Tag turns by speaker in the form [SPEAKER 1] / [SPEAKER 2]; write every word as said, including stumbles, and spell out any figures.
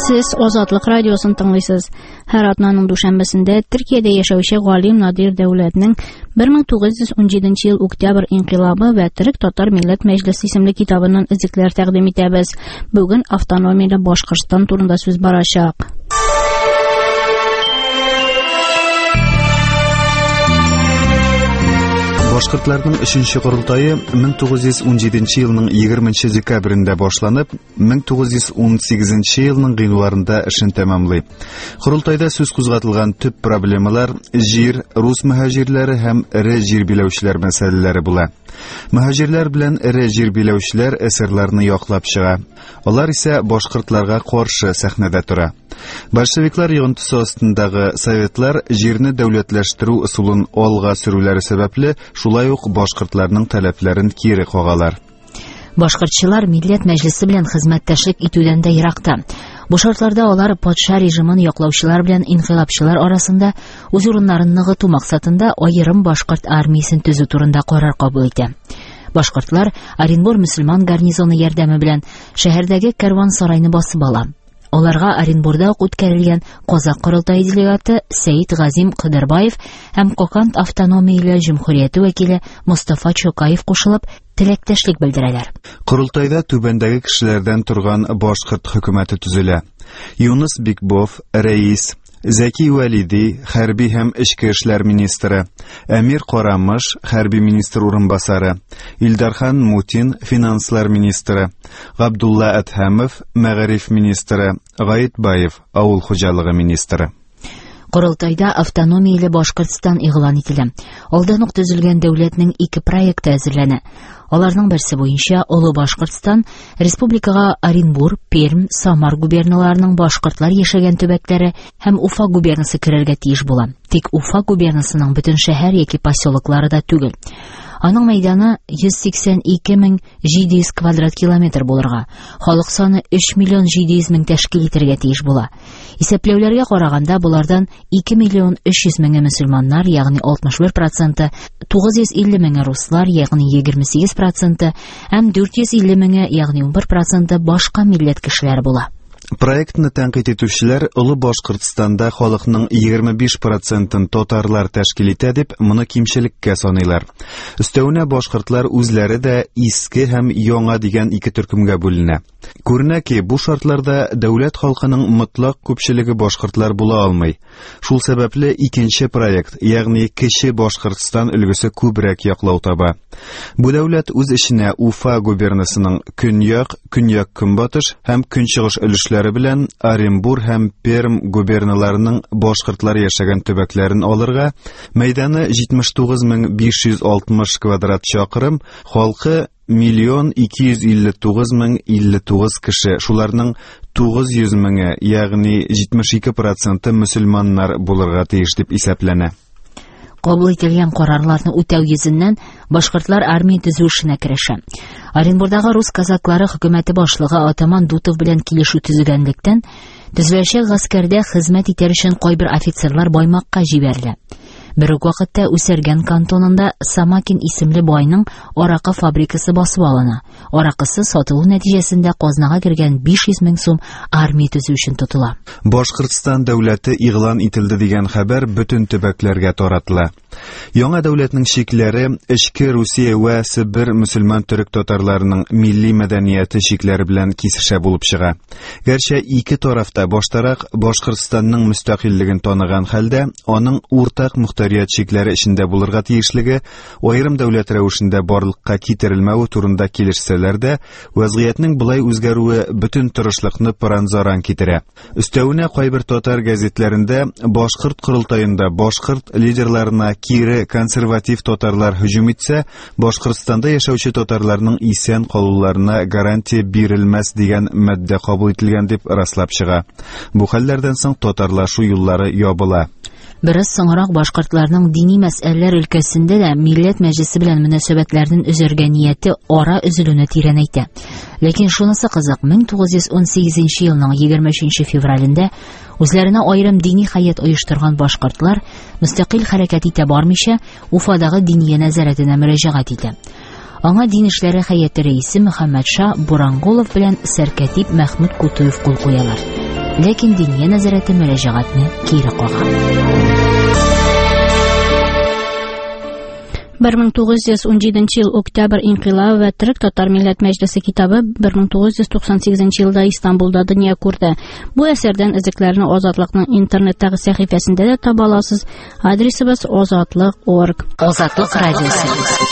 [SPEAKER 1] Сез Азатлык радиосын тыңлыйсыз. Һәр атнаның дүшәмбесендә Төркиядә яшәүче галим Надир Дәүләтнең бер мең тугыз йөз унҗиденче ел Октябрь инкыйлабы вә Төрек татар милләт мәҗлесе исемле китабыннан өзекләр тәкъдим итәбез. Бүген автономияле Башкортстан турында сүз барачак.
[SPEAKER 2] Башкортларның өченче корылтайы мең тугыз йөз унҗиденче елның егерменче декабрендә башланып, мең тугыз йөз унсигезенче елның гыйнварында эшен тәмамлый. Корылтайда сүз кузгатылган төп проблемалар җир, рус мөһаҗирләре һәм эре җир биләүчеләр мәсьәләләре була. Мөһаҗирләр белән эре җир биләүчеләр эсерларны яклап чыга. Алар исә башкортларга каршы сәхнәдә тора. Большевиклар йогынтысы астындагы советлар җирне дәүләтләштерү ысулын алга сөрүләре сәбәпле шулай ук башкортларның таләпләрен кире кагалар.
[SPEAKER 3] Башкортчылар Милләт Мәҗлесе белән хезмәттәшлек итүдән дә еракта. Бу шартларда алар патша режимын яклаучылар белән инкыйлабчылар арасында үз урыннарын ныгыту максатында аерым башкорт армиясен төзү турында карар кабул итә. Башкортлар Оренбур мөселман гарнизоны ярдәме белән шәһәрдәге кәрван сарайны басып ала. Аларга Оренбурда ук үткәрелгән Казак корылтайы делегаты Сәид Газим Кыдырбаев һәм Коканд автономияле җөмһүрияте вәкиле Мустафа Чокаев кушылып теләктәшлек белдерәләр.
[SPEAKER 2] Корылтайда түбәндәге кешеләрдән торган башкорт хөкүмәте төзелә. Юныс Бикбов, рәис, Зәки Вәлиди, хәрби һәм эчке эшләр министры, Әмир Карамыш, хәрби министр урынбасары, Илдархан Мутин, финанслар министры, Габдулла Әдһәмов, мәгариф министры, Гаит Баев, авыл хуҗалыгы министры.
[SPEAKER 3] Корылтайда автономияле Башкортстан игълан ителә. Алдан ук төзелгән дәүләтнең ике проекты әзерләнә. Аларның берсе буенча Олы Башкортстан республикага Оренбур, Пермь, Самар губерналарының башкортлар яшәгән төбәкләре һәм Уфа губернасы керергә тиеш була. Тик Уфа губернасының бөтен шәһәр яки поселоклары да түгел. Аның мәйданы йөз сиксән ике мең җиде йөз квадрат километр булырга, халык саны өч миллион җиде йөз мең тәшкил итәргә тиеш була. Исәпләүләргә караганда, булардан ике миллион өч йөз меңе мөселманнар, ягъни алтмыш бер проценты, тугыз йөз илле меңе руслар, ягъни егерме сигез проценты, һәм дүрт йөз илле меңе, ягъни унбер проценты башка милләт кешеләре була.
[SPEAKER 2] Проектны тәнкыйть итүчеләр Олы Башкортстанда халыкның егерме биш процентын татарлар тәшкил итә дип, моны кимчелеккә саныйлар. Өстәвенә башкортлар үзләре дә иске һәм яңа дигән ике төркемгә бүленә. Күренә ки, бу шартларда дәүләт халкының мотлак күпчелеге башкортлар була алмый. Шул сәбәпле икенче проект, ягъни Кече Башкортстан өлгесе күбрәк яклау таба. Бу дәүләт үз эченә Уфа губернасының көньяк, көньяк-көнбатыш һәм көнчыгыш өлешләре белән Оренбур һәм Пермь губерналарының башкортлар яшәгән төбәкләрен алырга, мәйданы җитмеш тугыз мең биш йөз алтмыш квадрат чакрым, халкы миллион ике йөз илле тугыз мең илле тугыз кеше, шуларның тугыз йөз меңе, ягъни җитмеш ике проценты мөселманнар булырга тиеш дип исәпләнә.
[SPEAKER 3] Кабул ителгән карарларны үтәү йөзеннән башкортлар армия төзү эшенә керешә. Оренбурдагы рус казаклары хөкүмәте башлыгы атаман Дутов белән килешү төзегәнлектән, төзеләчәк гаскәрдә хезмәт итәр өчен кайбер офицерлар Баймакка җибәрелә. Бер үк вакытта Үсәргән кантонында Самакин исемле байның аракы фабрикасы басып алына. Аракысы сатылу нәтиҗәсендә казнага кергән биш йөз мең сум армия төзү өчен тотыла.
[SPEAKER 2] Башкортстан дәүләте игълан ителде дигән хәбәр бөтен төбәкләргә таратыла. Яңа дәүләтнең чикләре эчке Русия вә Себер мөселман төрек татарларының милли мәдәнияте чикләре белән кисешә булып чыга. Гәрчә ике тарафта баштарак Башкортстанның мөстәкыйльлеген таныган хәлдә, аның уртак мөхтәрият чикләре эчендә булырга тиешлеге, аерым дәүләт рәвешендә барлыкка китерелмәве турында килешсәләр дә, вәзгыятьнең болай үзгәрүе бөтен тырышлыкны пыран-заран китерә. Өстәвенә кайбер татар гәзитләрендә башкорт корылтаенда башкорт лидерларына кире консерватив татарлар һөҗүм итсә, Башкортстанда яшәүче татарларның исән калуларына гарантия бирелмәс дигән маддә кабул ителгән дип раслап чыга. Бу хәлләрдән соң татарлашу юллары ябыла.
[SPEAKER 3] Бераз соңрак башкортларның дини мәсьәләләр өлкәсендә дә Милләт Мәҗлесе белән мөнәсәбәтләрен өзәргә нияте ара өзелүне тирәнәйтә. Ләкин шунысы кызык, мең тугыз йөз ун сигезенче елның егерме өченче февралендә үзләренә аерым дини хәят оештырган башкортлар мөстәкыйль хәрәкәт итә бармыйча Уфадагы диния нәзарәтенә мөрәҗәгать итә. Аңа дин эшләре хәяте рәисе Мөхәммәтша Бурангулов белән сәркәтип Мәхмүт Кутуев кул куялар. Ләкин Диния нәзарәте мөрәҗәгатьне кире кага.
[SPEAKER 1] бер мең тугыз йөз унҗиденче ел Октябрь инкыйлабы вә Төрек татар милләт мәҗлесе китабы бер мең тугыз йөз туксан сигезенче елда Истанбулда дөнья күрде. Бу әсәрдән өзекләрне Азатлыкның интернеттагы сәхифәсендә дә таба аласыз. Адресыбыз озатлык точка орг.
[SPEAKER 3] Азатлык радиосы.